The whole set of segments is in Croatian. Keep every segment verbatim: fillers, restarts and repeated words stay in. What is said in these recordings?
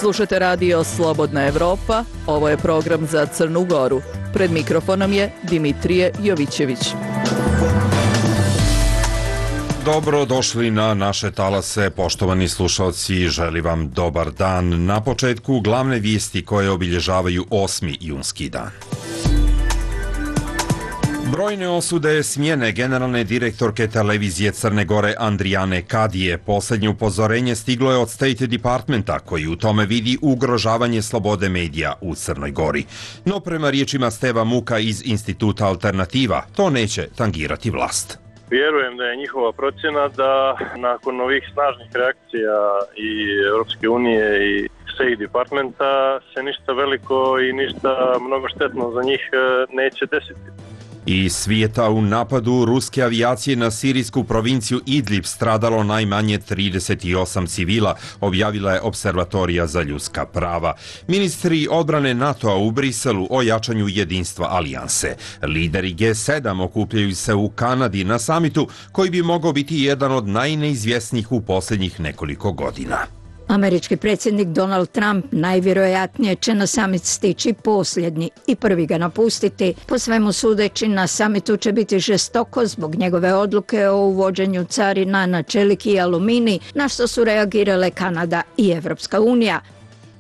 Slušate radio Slobodna Evropa, ovo je program za Crnu Goru. Pred mikrofonom je Dimitrije Jovićević. Dobro došli na naše talase, poštovani slušalci, želim vam dobar dan. Na početku glavne vijesti koje obilježavaju osmi junski dan. Brojne osude smjene generalne direktorke televizije Crne Gore Andrijane Kadije. Posljednje upozorenje stiglo je od State Departmenta, koji u tome vidi ugrožavanje slobode medija u Crnoj Gori. No prema riječima Steva Muka iz Instituta Alternativa, to neće tangirati vlast. Vjerujem da je njihova procjena da nakon ovih snažnih reakcija i Europske unije i State Departmenta se ništa veliko i ništa mnogo štetno za njih neće desiti. Iz svijeta u napadu ruske avijacije na sirijsku provinciju Idlib stradalo najmanje trideset osam civila, objavila je Observatorija za ljudska prava. Ministri odbrane NATO-a u Briselu o jačanju jedinstva alijanse. Lideri G sedam okupljaju se u Kanadi na samitu koji bi mogao biti jedan od najneizvjesnijih u posljednjih nekoliko godina. Američki predsjednik Donald Trump najvjerojatnije će na samit stići posljednji i prvi ga napustiti. Po svemu sudeći, na samitu će biti žestoko zbog njegove odluke o uvođenju carina na čelik i aluminij, na što su reagirale Kanada i Evropska unija.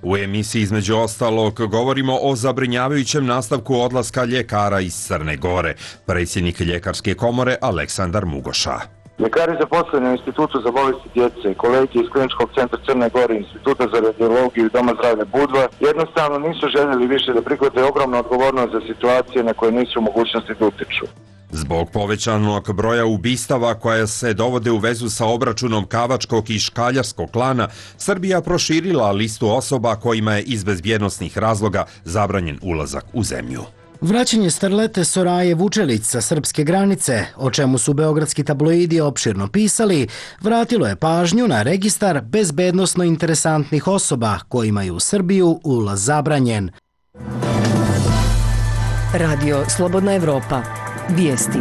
U emisiji između ostalog govorimo o zabrinjavajućem nastavku odlaska ljekara iz Crne Gore. Predsjednik ljekarske komore Aleksandar Mugoša. Ljekari zaposleni u Institutu za bolesti djece, kolege iz Kliničkog centra Crne Gore, Instituta za radiologiju i Doma zdravlja Budva jednostavno nisu željeli više da prihvate ogromnu odgovornost za situacije na koje nisu u mogućnosti da utiču. Zbog povećanog broja ubistava koja se dovode u vezu sa obračunom kavačkog i škaljarskog klana, Srbija proširila listu osoba kojima je iz bezbjednosnih razloga zabranjen ulazak u zemlju. Vraćanje starlete Soraje Vučelić sa srpske granice, o čemu su beogradski tabloidi opširno pisali, vratilo je pažnju na registar bezbednosno interesantnih osoba kojima je u Srbiju ulaz zabranjen. Radio Slobodna Evropa. Vijesti.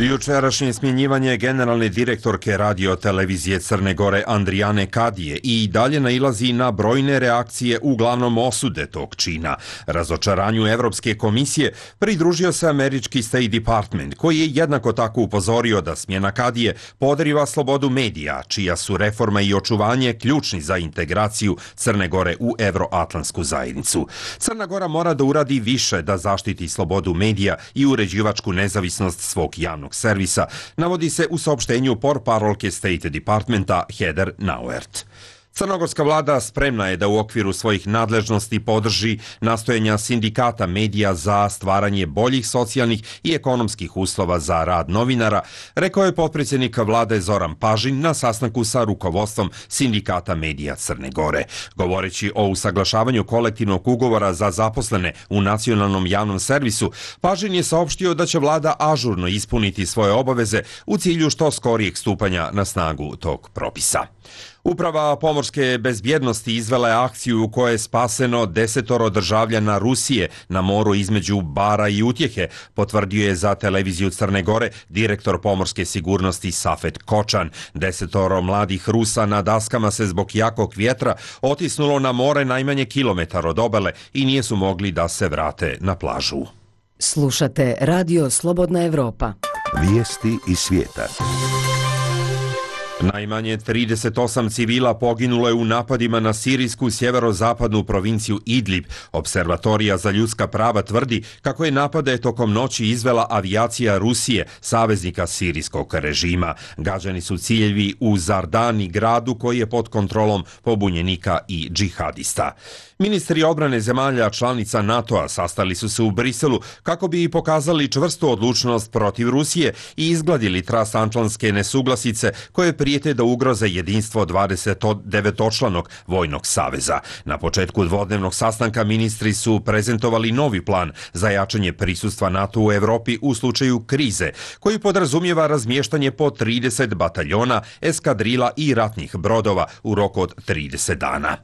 Jučerašnje smjenjivanje generalne direktorke radio televizije Crne Gore Andrijane Kadije i dalje nailazi na brojne reakcije, uglavnom osude tog čina. Razočaranju Evropske komisije pridružio se američki State Department, koji je jednako tako upozorio da smjena Kadije podriva slobodu medija, čija su reforma i očuvanje ključni za integraciju Crne Gore u evroatlantsku zajednicu. Crna Gora mora da uradi više da zaštiti slobodu medija i uređivačku nezavisnost svog javnog servisa, navodi se u saopštenju portparolke State Departmenta Heather Nauert. Crnogorska vlada spremna je da u okviru svojih nadležnosti podrži nastojanja sindikata medija za stvaranje boljih socijalnih i ekonomskih uslova za rad novinara, rekao je potpredsjednik vlade Zoran Pažin na sastanku sa rukovodstvom sindikata medija Crne Gore. Govoreći o usaglašavanju kolektivnog ugovora za zaposlene u nacionalnom javnom servisu, Pažin je saopštio da će vlada ažurno ispuniti svoje obaveze u cilju što skorijeg stupanja na snagu tog propisa. Uprava pomorske bezbjednosti izvela je akciju u kojoj je spaseno desetoro državljana Rusije na moru između Bara i Utjehe, potvrdio je za televiziju Crne Gore direktor pomorske sigurnosti Safet Kočan. Desetoro mladih Rusa na daskama se zbog jakog vjetra otisnulo na more najmanje kilometar od obale i nije su mogli da se vrate na plažu. Slušate Radio Slobodna Evropa. Vijesti iz svijeta. Najmanje trideset osam civila poginulo je u napadima na sirijsku sjeverozapadnu provinciju Idlib. Observatorija za ljudska prava tvrdi kako je napade tokom noći izvela avijacija Rusije, saveznika sirijskog režima. Gađani su ciljevi u Zardani, gradu koji je pod kontrolom pobunjenika i džihadista. Ministri odbrane zemalja članica NATO-a sastali su se u Briselu kako bi pokazali čvrstu odlučnost protiv Rusije i izgladili transatlantske nesuglasice koje prijete da ugroze jedinstvo dvadeset devetočlanog vojnog saveza. Na početku dvodnevnog sastanka ministri su prezentovali novi plan za jačanje prisustva NATO u Evropi u slučaju krize, koji podrazumijeva razmještanje po trideset bataljona, eskadrila i ratnih brodova u roku od trideset dana.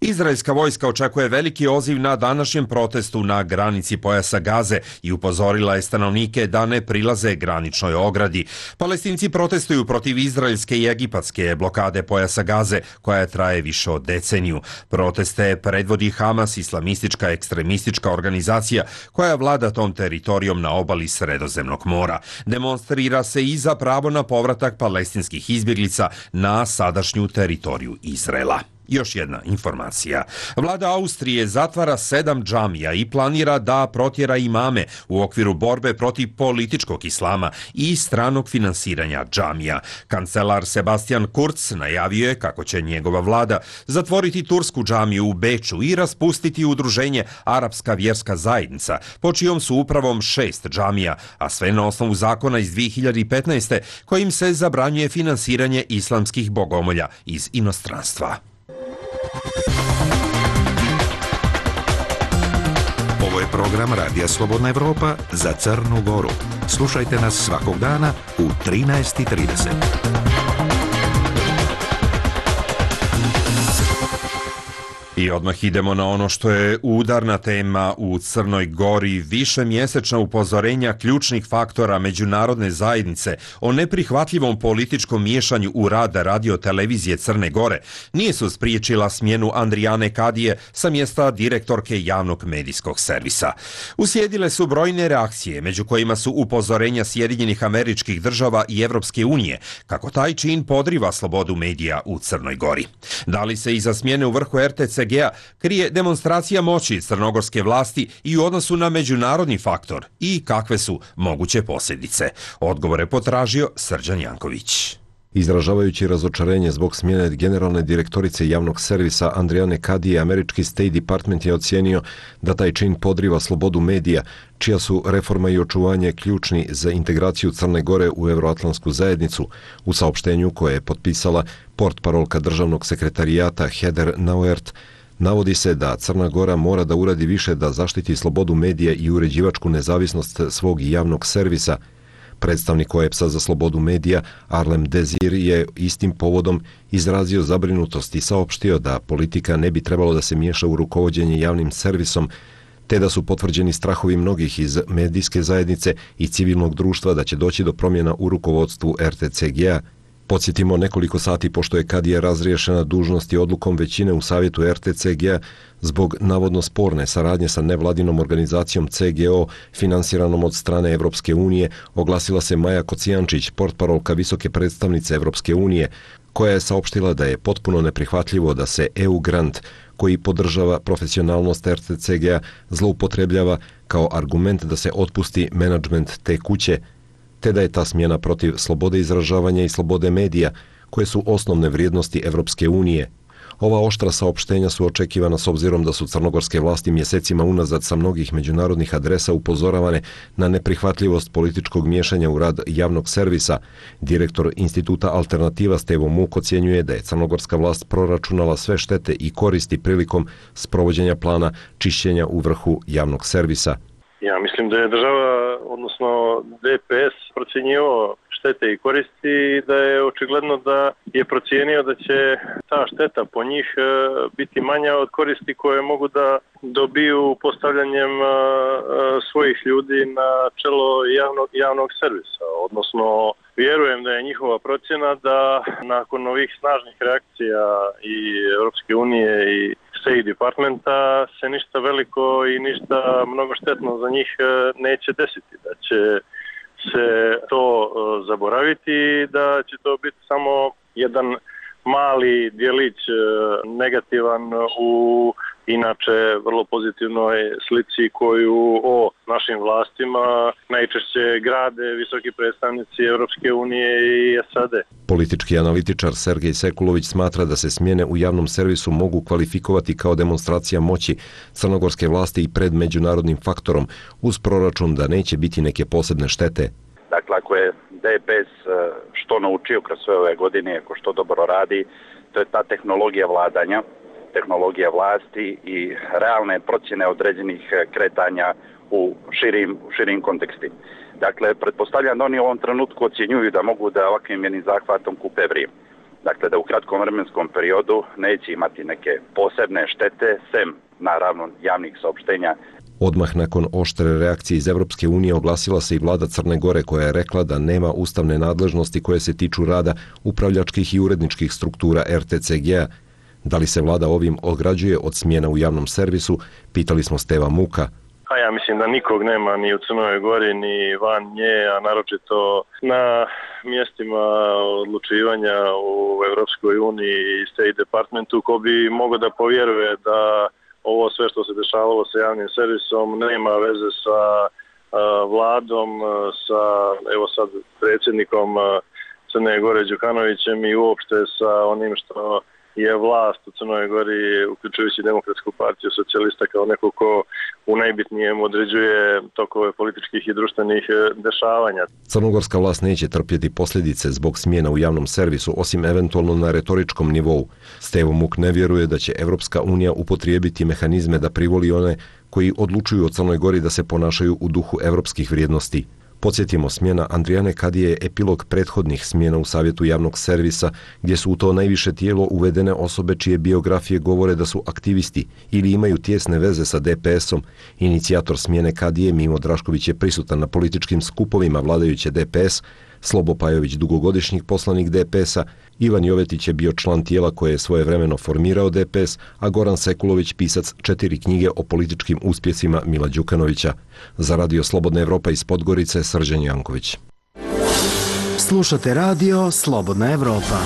Izraelska vojska očekuje očekuje veliki odziv na današnjem protestu na granici pojasa Gaze i upozorila je stanovnike da ne prilaze graničnoj ogradi. Palestinci protestuju protiv izraelske i egipatske blokade pojasa Gaze, koja traje više od deceniju. Proteste predvodi Hamas, islamistička ekstremistička organizacija koja vlada tom teritorijom na obali Sredozemnog mora. Demonstrira se i za pravo na povratak palestinskih izbjeglica na sadašnju teritoriju Izraela. Još jedna informacija. Vlada Austrije zatvara sedam džamija i planira da protjera imame u okviru borbe protiv političkog islama i stranog finansiranja džamija. Kancelar Sebastian Kurz najavio je kako će njegova vlada zatvoriti tursku džamiju u Beču i raspustiti udruženje Arapska vjerska zajednica, po čijom su upravom šest džamija, a sve na osnovu zakona iz dvije hiljade petnaeste kojim se zabranjuje finansiranje islamskih bogomolja iz inostranstva. Ovo je program Radija Slobodna Evropa za Crnu Goru. Slušajte nas svakog dana u trinaest i trideset. I odmah idemo na ono što je udarna tema u Crnoj Gori. Višemjesečna upozorenja ključnih faktora međunarodne zajednice o neprihvatljivom političkom miješanju u rad radio-televizije Crne Gore nisu spriječila smjenu Andrijane Kadije sa mjesta direktorke javnog medijskog servisa. Uslijedile su brojne reakcije, među kojima su upozorenja Sjedinjenih Američkih Država i Evropske unije, kako taj čin podriva slobodu medija u Crnoj Gori. Da li se iza smjene u vrhu R T C G-a krije demonstracija moći crnogorske vlasti i u odnosu na međunarodni faktor i kakve su moguće posljedice? Odgovore potražio Srđan Janković. Izražavajući razočarenje zbog smjene generalne direktorice javnog servisa Andrijane Kadije, američki State Department je ocijenio da taj čin podriva slobodu medija, čija su reforma i očuvanje ključni za integraciju Crne Gore u Euroatlantsku zajednicu. U saopštenju koje je potpisala portparolka državnog sekretarijata Heather Nauert, navodi se da Crna Gora mora da uradi više da zaštiti slobodu medija i uređivačku nezavisnost svog javnog servisa. Predstavnik O E P S-a za slobodu medija Arlem Dezir je istim povodom izrazio zabrinutost i saopštio da politika ne bi trebalo da se miješa u rukovođenje javnim servisom, te da su potvrđeni strahovi mnogih iz medijske zajednice i civilnog društva da će doći do promjena u rukovodstvu R T C G-a. Podsjetimo, nekoliko sati pošto je Kadija razriješena dužnosti odlukom većine u savjetu R T C G-a zbog navodno sporne saradnje sa nevladinom organizacijom C G O finansiranom od strane Evropske unije, oglasila se Maja Kocijančić, portparolka visoke predstavnice Evropske unije, koja je saopštila da je potpuno neprihvatljivo da se E U grant, koji podržava profesionalnost R T C G-a, zloupotrebljava kao argument da se otpusti menadžment te kuće, te da je ta smjena protiv slobode izražavanja i slobode medija, koje su osnovne vrijednosti Evropske unije. Ova oštra saopštenja su očekivana s obzirom da su crnogorske vlasti mjesecima unazad sa mnogih međunarodnih adresa upozoravane na neprihvatljivost političkog miješanja u rad javnog servisa. Direktor Instituta Alternativa Stevo Muk ocjenjuje da je crnogorska vlast proračunala sve štete i koristi prilikom sprovođenja plana čišćenja u vrhu javnog servisa. Ja mislim da je država, odnosno D P S, procjenjivao štete i koristi i da je očigledno da je procijenio da će ta šteta po njih biti manja od koristi koje mogu da dobiju postavljanjem svojih ljudi na čelo javnog, javnog servisa. Odnosno, vjerujem da je njihova procjena da nakon ovih snažnih reakcija i Europske unije i State Departmenta se ništa veliko i ništa mnogo štetno za njih neće desiti. Da će se to zaboraviti, da će to biti samo jedan mali djelić negativan u inače vrlo pozitivnoj slici koju o našim vlastima najčešće grade visoki predstavnici Europske unije i S A D. Politički analitičar Sergej Sekulović smatra da se smjene u javnom servisu mogu kvalifikovati kao demonstracija moći crnogorske vlasti i pred međunarodnim faktorom, uz proračun da neće biti neke posebne štete. Dakle, ako je D P S što naučio kroz sve ove godine, ako što dobro radi, to je ta tehnologija vladanja, tehnologija vlasti i realne procjene određenih kretanja u širim, u širim konteksti. Dakle, pretpostavljam da oni u ovom trenutku ocjenjuju da mogu da ovakvim jednim zahvatom kupe vrijeme. Dakle, da u kratkom vremenskom periodu neće imati neke posebne štete, sem naravno javnih saopštenja. Odmah nakon oštre reakcije iz Evropske unije oglasila se i vlada Crne Gore koja je rekla da nema ustavne nadležnosti koje se tiču rada upravljačkih i uredničkih struktura er te ce ge a. Da li se vlada ovim ograđuje od smjena u javnom servisu, pitali smo Steva Muka. A ja mislim da nikog nema ni u Crnoj Gori ni van nje, a naročito na mjestima odlučivanja u Evropskoj uniji i State Departmentu ko bi mogao da povjeruje da ovo sve što se dešavalo sa javnim servisom nema veze sa a, vladom, sa evo sad predsjednikom Crne Gore Đukanovićem i uopšte sa onim što je vlast u Crnoj Gori, uključujući Demokratsku partiju socijalista kao neko ko u najbitnijem određuje tokove političkih i društvenih dešavanja. Crnogorska vlast neće trpjeti posljedice zbog smjena u javnom servisu, osim eventualno na retoričkom nivou. Stevo Muk ne vjeruje da će Evropska unija upotrijebiti mehanizme da privoli one koji odlučuju o Crnoj Gori da se ponašaju u duhu evropskih vrijednosti. Podsjetimo, smjena Andrijane Kadije je epilog prethodnih smjena u Savjetu javnog servisa, gdje su u to najviše tijelo uvedene osobe čije biografije govore da su aktivisti ili imaju tjesne veze sa de pe esom. Inicijator smjene Kadije, Mimo Drašković, je prisutan na političkim skupovima vladajuće de pe es, Slobo Pajović, dugogodišnji poslanik de pe esa, Ivan Jovetić je bio član tijela koje je svojevremeno formirao de pe es, a Goran Sekulović pisac četiri knjige o političkim uspjesima Mila Đukanovića. Za Radio Slobodna Evropa iz Podgorice, Srđan Janković. Slušate Radio Slobodna Evropa.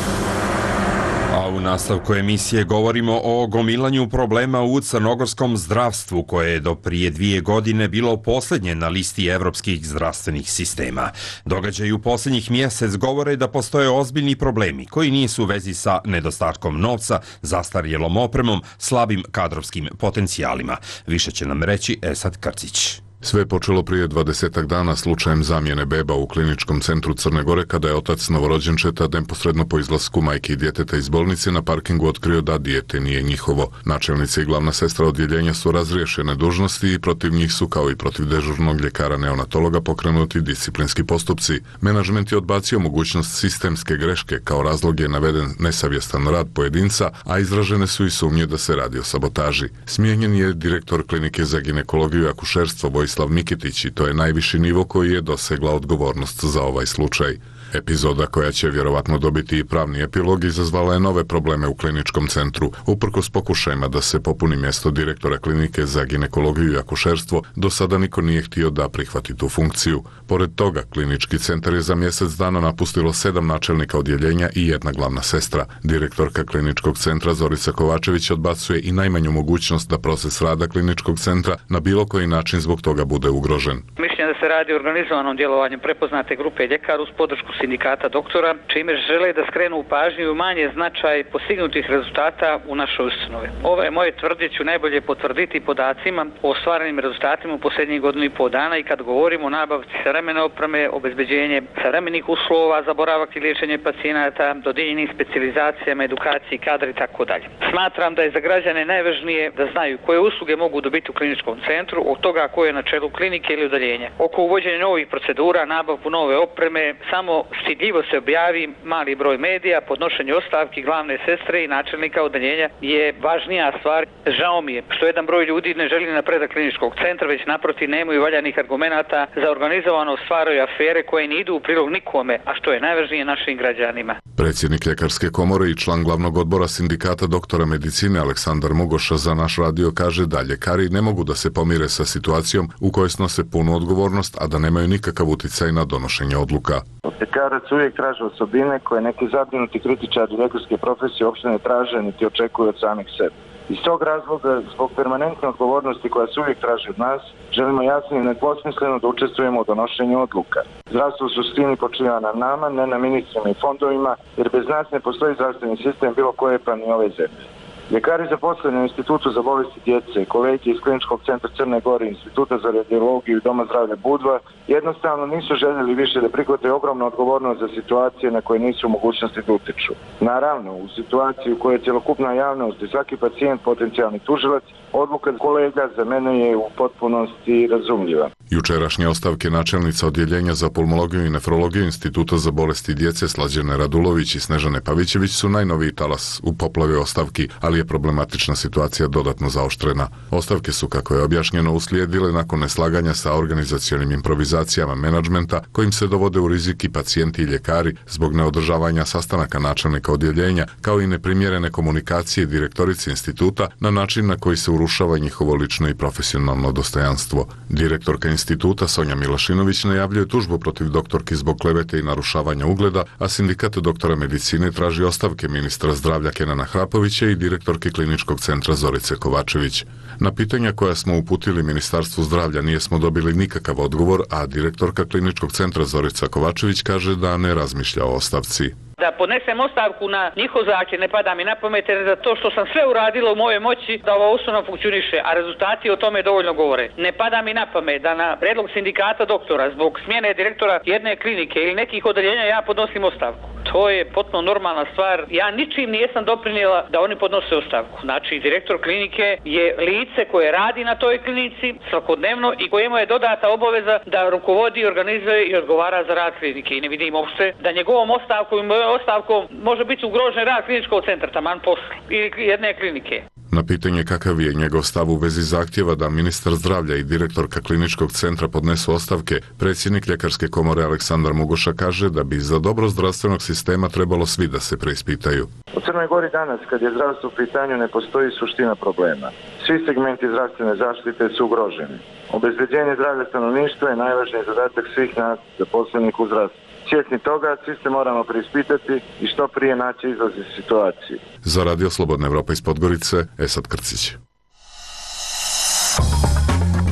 A u nastavku emisije govorimo o gomilanju problema u crnogorskom zdravstvu koje je do prije dvije godine bilo posljednje na listi evropskih zdravstvenih sistema. Događaji u posljednjih mjesec govore da postoje ozbiljni problemi koji nisu u vezi sa nedostatkom novca, zastarjelom opremom, slabim kadrovskim potencijalima. Više će nam reći Esad Krcić. Sve je počelo prije dvadesetak dana slučajem zamjene beba u kliničkom centru Crne Gore kada je otac novorođenčeta neposredno po izlasku majke i djeteta iz bolnice na parkingu otkrio da dijete nije njihovo. Načelnica i glavna sestra odjeljenja su razriješene dužnosti i protiv njih su kao i protiv dežurnog ljekara neonatologa pokrenuti disciplinski postupci. Menadžment je odbacio mogućnost sistemske greške, kao razlog je naveden nesavjestan rad pojedinca, a izražene su i sumnje da se radi o sabotaži. Smijenjen je direktor klinike za ginekologiju i akušerstvo Vojislav Mikitić i to je najviši nivo koji je dosegla odgovornost za ovaj slučaj. Epizoda koja će vjerovatno dobiti i pravni epilog izazvala je nove probleme u kliničkom centru. Uprkos pokušajima da se popuni mjesto direktora klinike za ginekologiju i akušerstvo, do sada niko nije htio da prihvati tu funkciju. Pored toga, klinički centar je za mjesec dana napustilo sedam načelnika odjeljenja i jedna glavna sestra. Direktorka kliničkog centra Zorica Kovačević odbacuje i najmanju mogućnost da proces rada kliničkog centra na bilo koji način zbog toga bude ugrožen. Mišljenje da se radi o organizovanom djelovanju prepoznate grupe ljekara uz podršku sindikata doktora, čime žele da skrenu pažnju i umanje značaj postignutih rezultata u našoj ustanovi. Ove moje tvrdnje ću najbolje potvrditi podacima o ostvarenim rezultatima u posljednjih godinu i pol dana i kad govorimo o nabavci savremene opreme, obezbeđenje savremenih uslova za boravak i liječenje pacijenata, dodijeljenim specijalizacijama, edukaciji, kadra i tako dalje. Smatram da je za građane najvažnije da znaju koje usluge mogu dobiti u kliničkom centru, od toga ko je na čelu klinike ili udaljenja. Oko uvođenja novih procedura, nabavku nove opreme, samo stidljivo se objavi mali broj medija, podnošenje ostavki glavne sestre i načelnika odeljenja je važnija stvar. Žao mi je što jedan broj ljudi ne želi napredak kliničkog centra, već naprotiv nemaju valjanih argumenata za organizovano stvaraju afere koje ne idu u prilog nikome, a što je najvažnije našim građanima. Predsjednik Ljekarske komore i član glavnog odbora sindikata doktora medicine Aleksandar Mugoša za naš radio kaže da ljekari ne mogu da se pomire sa situacijom u kojoj snose punu odgovornost, a da nemaju nikakav uticaj na donošenje odluka. Ljekarac uvijek traže osobine koje neki zabrinuti kritičari ljekarske profesije uopšte ne traže niti očekuju od samih sebe. Iz tog razloga, zbog permanentne odgovornosti koja se uvijek traži od nas, želimo jasno i nedvosmisleno da učestvujemo u donošenju odluka. Zdravstvo u suštini počiva na nama, ne na ministrima i fondovima, jer bez nas ne postoji zdravstveni sistem bilo koje pa ni ove zemlje. Ljekari zaposleni u Institutu za bolesti djece, kolege iz Kliničkog centra Crne Gore, Instituta za radiologiju i Doma zdravlja Budva jednostavno nisu željeli više da prihvate ogromnu odgovornost za situacije na koje nisu u mogućnosti da utiču. Naravno, u situaciji u kojoj je cjelokupna javnost i svaki pacijent potencijalni tužilac, odluka kolega za mene je u potpunosti razumljiva. Jučerašnje ostavke načelnica odjeljenja za pulmologiju i nefrologiju Instituta za bolesti djece Slađane Radulović i Snežane Pavićević su najnoviji talas u poplavi ostavki, ali ali je problematična situacija dodatno zaoštrena. Ostavke su, kako je objašnjeno, uslijedile nakon neslaganja sa organizacionim improvizacijama menadžmenta kojim se dovode u rizik i pacijenti i ljekari zbog neodržavanja sastanaka načelnika odjeljenja, kao i neprimjerene komunikacije direktorice instituta na način na koji se urušava njihovo lično i profesionalno dostojanstvo. Direktorka instituta Sonja Milašinović najavljuje tužbu protiv doktorki zbog klevete i narušavanja ugleda, a sindikat doktora medicine traži ostavke ministra zdravlja Kenana Hrapovića i direktorke kliničkog centra Zorice Kovačević. Na pitanja koja smo uputili Ministarstvu zdravlja nijesmo dobili nikakav odgovor, a direktorka kliničkog centra Zorica Kovačević kaže da ne razmišlja o ostavci. Da podnesem ostavku na njihov zahtjev ne pada mi na pamet, jer za to što sam sve uradila u mojoj moći da ova ustanova funkcioniše, a rezultati o tome dovoljno govore. Ne pada mi na pamet da na predlog sindikata doktora zbog smjene direktora jedne klinike ili nekih odeljenja ja podnosim ostavku. To je potpuno normalna stvar. Ja ničim nijesam doprinijela da oni podnose ostavku. Znači, direktor klinike je lice koje radi na toj klinici svakodnevno i kojemu je dodata obaveza da rukovodi, organizuje i odgovara za rad klinike. I ne vidim uopšte da njegovom ostavkom i mojom ostavkom može biti ugrožen rad kliničkog centra, taman posla ili jedne klinike. Na pitanje kakav je njegov stav u vezi zahtjeva da ministar zdravlja i direktorka kliničkog centra podnesu ostavke, predsjednik Ljekarske komore Aleksandar Mugoša kaže da bi za dobro zdravstvenog sistema trebalo svi da se preispitaju. U Crnoj Gori danas, kad je zdravstvo u pitanju, ne postoji suština problema. Svi segmenti zdravstvene zaštite su ugroženi. Obezbeđenje zdravlja stanovništva je najvažniji zadatak svih nas zaposlenih u zdravstvu. Svjesni toga, svi se moramo preispitati i što prije naći izlaz iz situacije. Za Radio Slobodna Evropa iz Podgorice, Esad Krcić.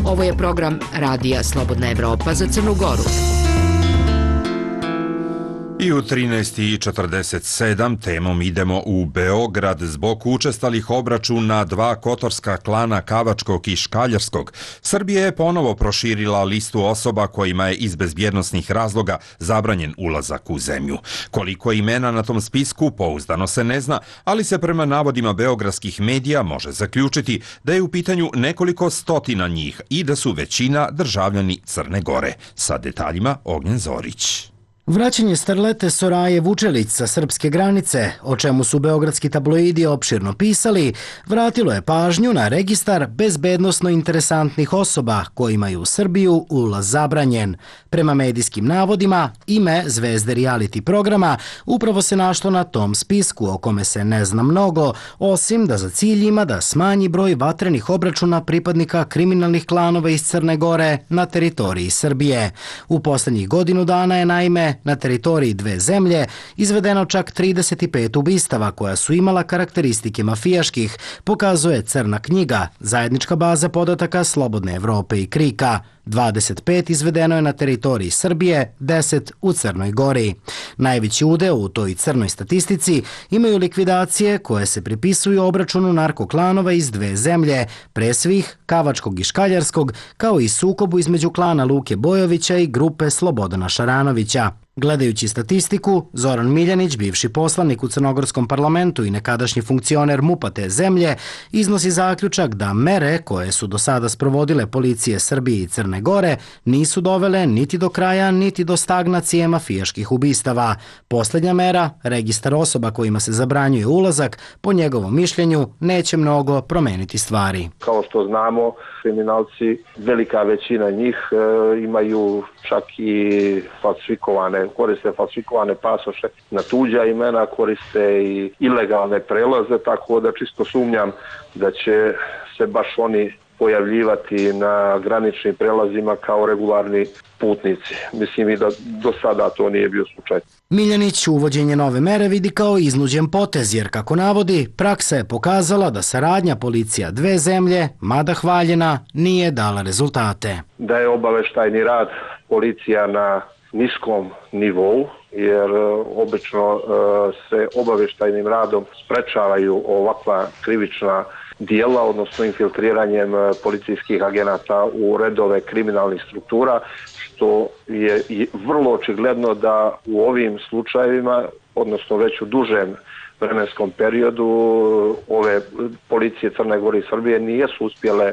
Ovo je program Radija Slobodna Evropa za Crnu Goru. I u trinaest i četrdeset sedam temom idemo u Beograd zbog učestalih obračuna dva kotorska klana Kavačkog i Škaljarskog. Srbija je ponovo proširila listu osoba kojima je iz bezbjednosnih razloga zabranjen ulazak u zemlju. Koliko imena na tom spisku pouzdano se ne zna, ali se prema navodima beogradskih medija može zaključiti da je u pitanju nekoliko stotina njih i da su većina državljani Crne Gore. Sa detaljima Ognjen Zorić. Vraćanje starlete Soraje Vučelić sa srpske granice, o čemu su beogradski tabloidi opširno pisali, vratilo je pažnju na registar bezbednosno interesantnih osoba kojima je u Srbiju ulaz zabranjen. Prema medijskim navodima, ime zvezde reality programa upravo se našlo na tom spisku o kome se ne zna mnogo, osim da za cilj ima da smanji broj vatrenih obračuna pripadnika kriminalnih klanova iz Crne Gore na teritoriji Srbije. U poslednjih godinu dana je naime na teritoriji dve zemlje izvedeno čak trideset pet ubistava koja su imala karakteristike mafijaških, pokazuje Crna knjiga, zajednička baza podataka Slobodne Evrope i Krika. dvadeset pet izvedeno je na teritoriji Srbije, deset u Crnoj Gori. Najveći udeo u toj crnoj statistici imaju likvidacije koje se pripisuju obračunu narkoklanova iz dve zemlje, pre svih Kavačkog i Škaljarskog, kao i sukobu između klana Luke Bojovića i grupe Slobodana Šaranovića. Gledajući statistiku, Zoran Miljanić, bivši poslanik u crnogorskom parlamentu i nekadašnji funkcioner MUP-a te zemlje, iznosi zaključak da mere koje su do sada sprovodile policije Srbije i Crne Gore nisu dovele niti do kraja, niti do stagnacije mafijaških ubistava. Posljednja mera, registar osoba kojima se zabranjuje ulazak, po njegovom mišljenju, neće mnogo promeniti stvari. Kao što znamo, kriminalci, velika većina njih e, imaju čak i falsifikovane, koriste falsifikovane pasoše na tuđa imena, koriste i ilegalne prelaze, tako da čisto sumnjam da će se baš oni pojavljivati na graničnim prelazima kao regularni putnici. Mislim i da do sada to nije bio slučaj. Miljanić uvođenje nove mere vidi kao iznuđen potez, jer kako navodi, praksa je pokazala da saradnja policija dve zemlje, mada hvaljena, nije dala rezultate. Da je obaveštajni rad policija na niskom nivou, jer obično se obaveštajnim radom sprečavaju ovakva krivična dijela, odnosno infiltriranjem policijskih agenata u redove kriminalnih struktura, što je vrlo očigledno da u ovim slučajevima, odnosno već u dužem vremenskom periodu, ove policije Crne Gore i Srbije nijesu uspjele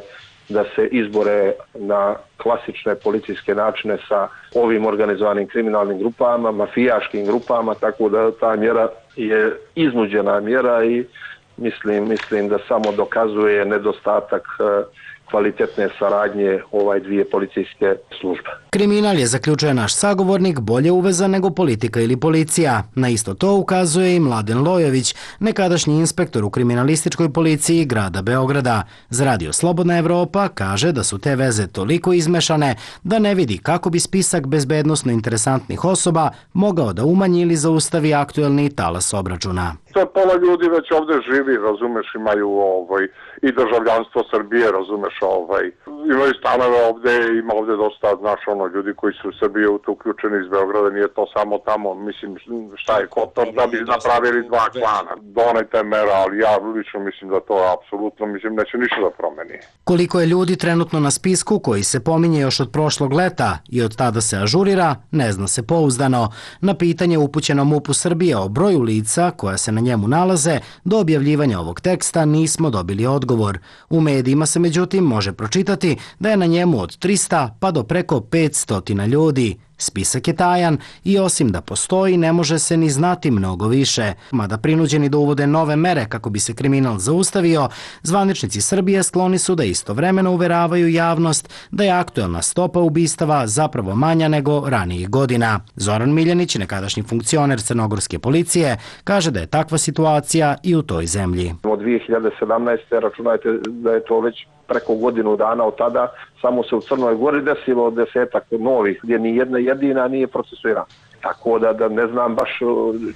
da se izbore na klasične policijske načine sa ovim organizovanim kriminalnim grupama, mafijaškim grupama, tako da ta mjera je iznuđena mjera i mislim, mislim da samo dokazuje nedostatak kvalitetne saradnje ovaj dvije policijske službe. Kriminal je, zaključuje naš sagovornik, bolje uvezan nego politika ili policija. Na isto to ukazuje i Mladen Lojović, nekadašnji inspektor u kriminalističkoj policiji grada Beograda. Za Radio Slobodna Evropa kaže da su te veze toliko izmešane da ne vidi kako bi spisak bezbednosno interesantnih osoba mogao da umanji ili zaustavi aktuelni talas obračuna. To pola ljudi već ovde živi, razumeš, imaju ovaj, i državljanstvo Srbije, razumeš, ovaj, imaju stanove ovde, ima ovde dosta, znaš, ono, ljudi koji su u Srbiji uključeni iz Beograda, nije to samo tamo, mislim, šta je Kotor, da bi napravili dva klana. Donajte mera, ali ja lično mislim da to apsolutno, mislim, neće ništa da promeni. Koliko je ljudi trenutno na spisku koji se pominje još od prošlog leta i od tada se ažurira, ne zna se pouzdano. Na pitanje upućeno MUP-u Srbije o broju lica koja se na njemu nalaze, do objavljivanja ovog teksta nismo dobili odgovor. U medijima se međutim može pročitati da je na njemu od trista pa do preko petsto ljudi. Spisak je tajan i osim da postoji ne može se ni znati mnogo više. Mada prinuđeni da uvode nove mere kako bi se kriminal zaustavio, zvaničnici Srbije skloni su da istovremeno uveravaju javnost da je aktuelna stopa ubistava zapravo manja nego ranijih godina. Zoran Miljanić, nekadašnji funkcioner crnogorske policije, kaže da je takva situacija i u toj zemlji. Od dvije hiljade sedamnaeste. računajte da je to već preko godinu dana od tada, samo se u Crnoj Gori desilo desetak novih, gdje ni jedna jedina nije procesuirana. Tako da, da ne znam baš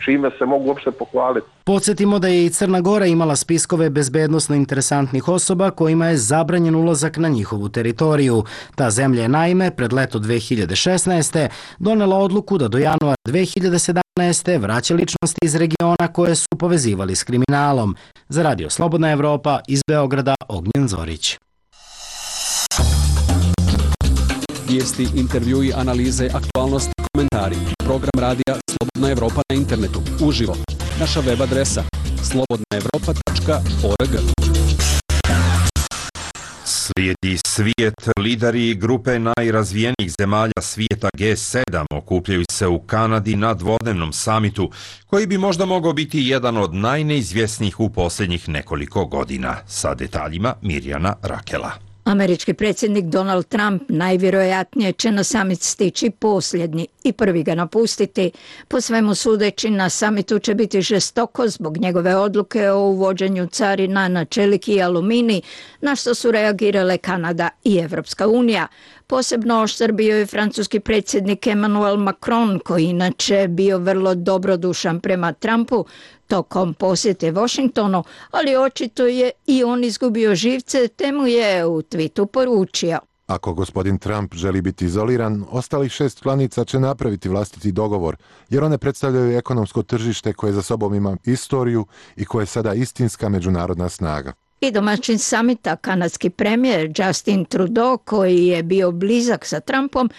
čime se mogu uopšte pohvaliti. Podsjetimo da je i Crna Gora imala spiskove bezbednosno interesantnih osoba kojima je zabranjen ulazak na njihovu teritoriju. Ta zemlja je naime pred leto dve hiljade šesnaeste. donela odluku da do januara dve hiljade sedamnaeste. vraća ličnosti iz regiona koje su povezivali s kriminalom. Za Radio Slobodna Evropa iz Beograda, Ognjen Zorić. Vijesti, intervjui, analize, aktualnosti, komentari. Program radija Slobodna Evropa na internetu. Uživo. Naša web adresa slobodna evropa tačka org. Slijedi svijet. Lideri grupe najrazvijenijih zemalja svijeta G sedam okupljaju se u Kanadi na dvodnevnom samitu, koji bi možda mogao biti jedan od najneizvjesnijih u posljednjih nekoliko godina. Sa detaljima Mirjana Rakela. Američki predsjednik Donald Trump najvjerojatnije će na samit stići posljednji i prvi ga napustiti. Po svemu sudeći, na samitu će biti žestoko zbog njegove odluke o uvođenju carina na čelik i aluminij, na što su reagirale Kanada i Evropska unija. Posebno oštar bio je francuski predsjednik Emmanuel Macron, koji inače bio vrlo dobrodušan prema Trumpu tokom posjete Washingtonu, ali očito je i on izgubio živce, te mu je u twitu poručio: Ako gospodin Trump želi biti izoliran, ostalih šest članica će napraviti vlastiti dogovor, jer one predstavljaju ekonomsko tržište koje za sobom ima istoriju i koje je sada istinska međunarodna snaga. I domaćin samita, kanadski premijer Justin Trudeau, koji je bio blizak sa Trumpom,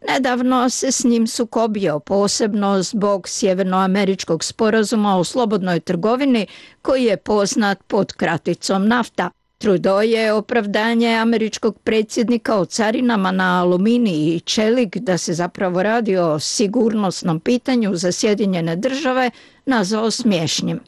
nedavno se s njim sukobio, posebno zbog sjevernoameričkog sporazuma o slobodnoj trgovini, koji je poznat pod kraticom NAFTA. Trudeau je opravdanje američkog predsjednika o carinama na aluminij i čelik, da se zapravo radi o sigurnosnom pitanju za Sjedinjene države, nazvao smiješnim.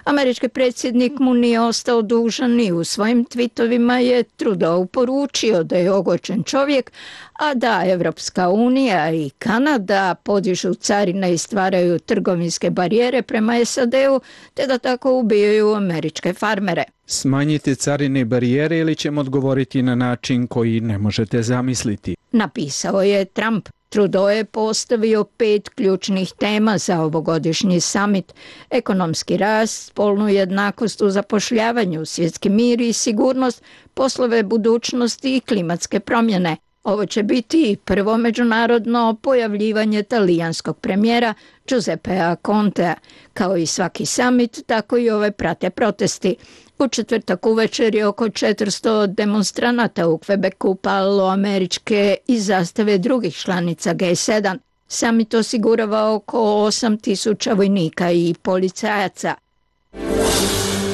Američki predsjednik mu nije ostao dužan i u svojim twitovima je Trudeau poručio da je ogorčen čovjek, a da Evropska unija i Kanada podižu carine i stvaraju trgovinske barijere prema S A D-u, te da tako ubijaju američke farmere. Smanjite carine i barijere ili ćemo odgovoriti na način koji ne možete zamisliti, napisao je Trump. Trudeau je postavio pet ključnih tema za ovogodišnji samit: ekonomski rast, spolnu jednakost u zapošljavanju, svjetski mir i sigurnost, poslove budućnosti i klimatske promjene. Ovo će biti prvo međunarodno pojavljivanje talijanskog premijera Giuseppea Contea. Kao i svaki samit, tako i ove prate protesti. U četvrtak uvečer je oko četiristo demonstranata u Quebecu palilo američke i zastave drugih članica G sedam. Samit osigurava oko osam tisuća vojnika i policajaca.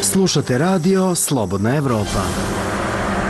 Slušate radio Slobodna Evropa.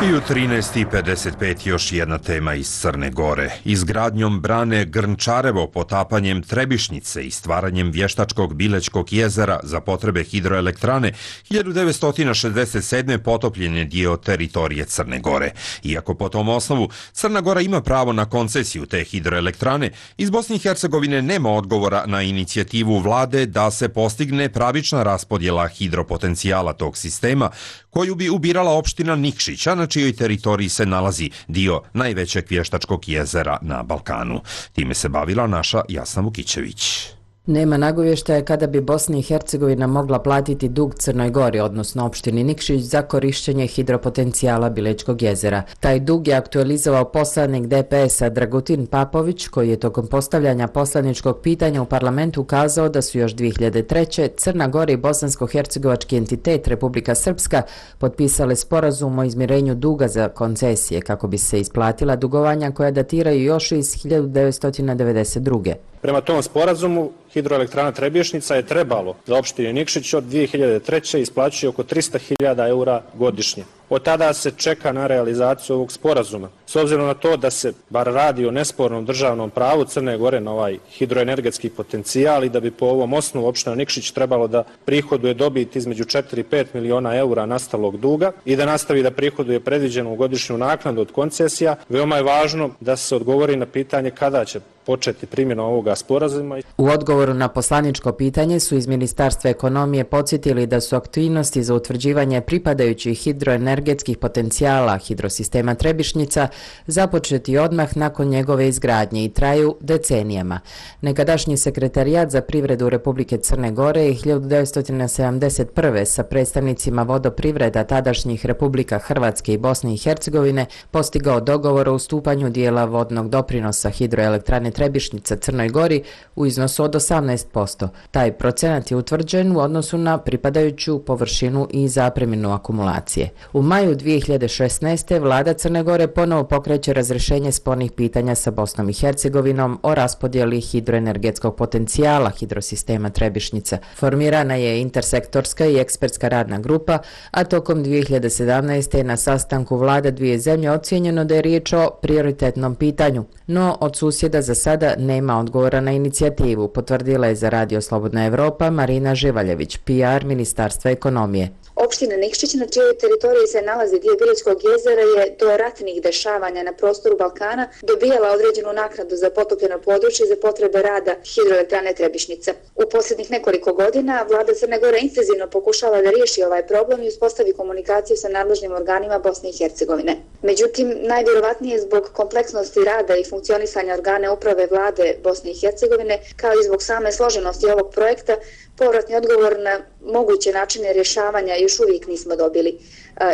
I u trinaest i pedeset pet još jedna tema iz Crne Gore. Izgradnjom brane Grnčarevo, potapanjem Trebišnjice i stvaranjem vještačkog Bilećkog jezera za potrebe hidroelektrane hiljadu devetsto šezdeset sedme potopljen je dio teritorije Crne Gore. Iako po tom osnovu Crna Gora ima pravo na koncesiju te hidroelektrane, iz Bosne i Hercegovine nema odgovora na inicijativu vlade da se postigne pravična raspodjela hidropotencijala tog sistema, koju bi ubirala opština Nikšić, a na čijoj teritoriji se nalazi dio najvećeg vještačkog jezera na Balkanu. Time se bavila naša Jasna Vukićević. Nema nagovještaja kada bi Bosna i Hercegovina mogla platiti dug Crnoj Gori, odnosno opštini Nikšić, za korišćenje hidropotencijala Bilećkog jezera. Taj dug je aktualizovao poslanik D P S-a Dragutin Papović, koji je tokom postavljanja poslaničkog pitanja u parlamentu ukazao da su još dvije hiljade treće. Crna Gora i bosansko-hercegovački entitet Republika Srpska potpisale sporazum o izmirenju duga za koncesije kako bi se isplatila dugovanja koja datiraju još iz hiljadu devetsto devedeset druge. Prema tom sporazumu, hidroelektrana Trebišnjica je trebalo za opštinu Nikšić od dvije hiljade treće isplaćuje oko trista hiljada eura godišnje. Od tada se čeka na realizaciju ovog sporazuma. S obzirom na to da se bar radi o nespornom državnom pravu Crne Gore na ovaj hidroenergetski potencijal i da bi po ovom osnovu opština Nikšić trebalo da prihoduje dobit između četiri i pet miliona eura nastalog duga i da nastavi da prihoduje predviđenu godišnju naknadu od koncesija, veoma je važno da se odgovori na pitanje kada će početi primjena ovoga sporazuma. U odgovoru na poslaničko pitanje su iz Ministarstva ekonomije podsjetili da su aktivnosti za utvrđivanje pripadajućih hidroenergetskih potencijala hidrosistema Trebišnjica započeti odmah nakon njegove izgradnje i traju decenijama. Nekadašnji sekretarijat za privredu Republike Crne Gore je hiljadu devetsto sedamdeset prve sa predstavnicima vodoprivreda tadašnjih Republika Hrvatske i Bosne i Hercegovine postigao dogovor o ustupanju dijela vodnog doprinosa hidroelektrane Trebišnjica Crnoj Gori u iznosu od osamnaest posto. Taj procenat je utvrđen u odnosu na pripadajuću površinu i zapreminu akumulacije. U maju dvije hiljade šesnaeste. vlada Crne Gore ponovo pokreće razrješenje spornih pitanja sa Bosnom i Hercegovinom o raspodjeli hidroenergetskog potencijala hidrosistema Trebišnjica. Formirana je intersektorska i ekspertska radna grupa, a tokom dvije hiljade sedamnaeste. na sastanku vlada dvije zemlje ocijenjeno da je riječ o prioritetnom pitanju, no od susjeda za sada nema odgovora na inicijativu, potvrdila je za Radio Slobodna Evropa Marina Živaljević, P R Ministarstva ekonomije. Opština Nikšić, na čijoj teritoriji se nalazi dio Bilećkog jezera, je do ratnih dešavanja na prostoru Balkana dobijala određenu naknadu za potopljeno područje za potrebe rada hidroelektrane Trebišnjica. U posljednjih nekoliko godina vlada Crne Gore intenzivno pokušava da riješi ovaj problem i uspostavi komunikaciju sa nadležnim organima Bosne i Hercegovine. Međutim, najvjerovatnije zbog kompleksnosti rada i funkcionisanja organe uprave vlade Bosne i Hercegovine, kao i zbog same složenosti ovog projekta, povratni odgovor na moguće načine rješavanja još uvijek nismo dobili.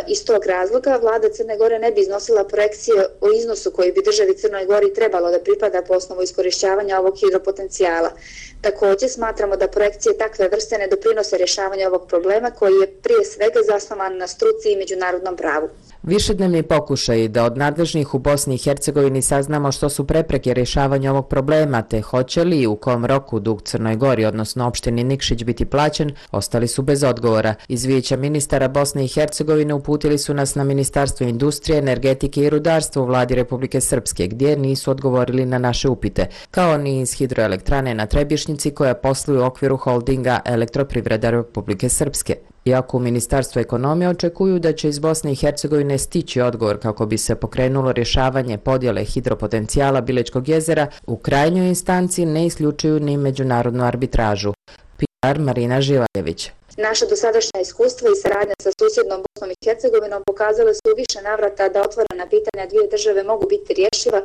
Iz tog razloga vlada Crne Gore ne bi iznosila projekcije o iznosu koji bi državi Crnoj Gori trebalo da pripada po osnovu iskorišćavanja ovog hidropotencijala. Također smatramo da projekcije takve vrste ne doprinose rješavanju ovog problema koji je prije svega zasnovan na struci i međunarodnom pravu. Višednevni pokušaj da od nadležnih u Bosni i Hercegovini saznamo što su prepreke rješavanja ovog problema, te hoće li i u kom roku dug Crnoj Gori, odnosno opštini Nikšić, biti plaćen, ostali su bez odgovora. Iz Vijeća ministara Bosne i Hercegovine uputili su nas na Ministarstvo industrije, energetike i rudarstva u vladi Republike Srpske, gdje nisu odgovorili na naše upite, kao ni iz hidroelektrane na Trebišnjici koja posluje u okviru holdinga Elektroprivreda Republike Srpske. Iako u Ministarstvu ekonomije očekuju da će iz Bosne i Hercegovine stići odgovor kako bi se pokrenulo rješavanje podjele hidropotencijala Bilećkog jezera, u krajnjoj instanci ne isključuju ni međunarodnu arbitražu. P R Marina Živaljević. Naša dosadašnja iskustva i saradnja sa susjednom Bosnom i Hercegovinom pokazale su u više navrata da otvorena pitanja dvije države mogu biti rješiva,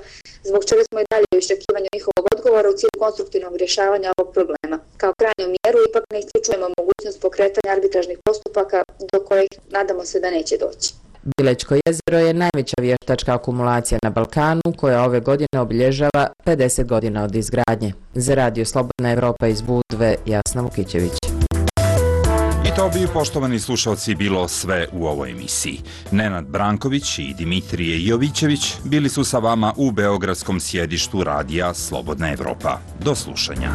zbog čega smo i dalje u iščekivanju njihovog odgovora u cilju konstruktivnog rješavanja ovog problema. Kao krajnju mjeru ipak ne isključujemo mogućnost pokretanja arbitražnih postupaka do kojih nadamo se da neće doći. Bilećko jezero je najveća vještačka akumulacija na Balkanu koja ove godine obilježava pedeset godina od izgradnje. Za Radio Slobodna Evropa iz Budve, Jasna Vukićević. I to bi, poštovani slušalci, bilo sve u ovoj emisiji. Nenad Branković i Dimitrije Jovićević bili su sa vama u beogradskom sjedištu Radija Slobodna Evropa. Do slušanja.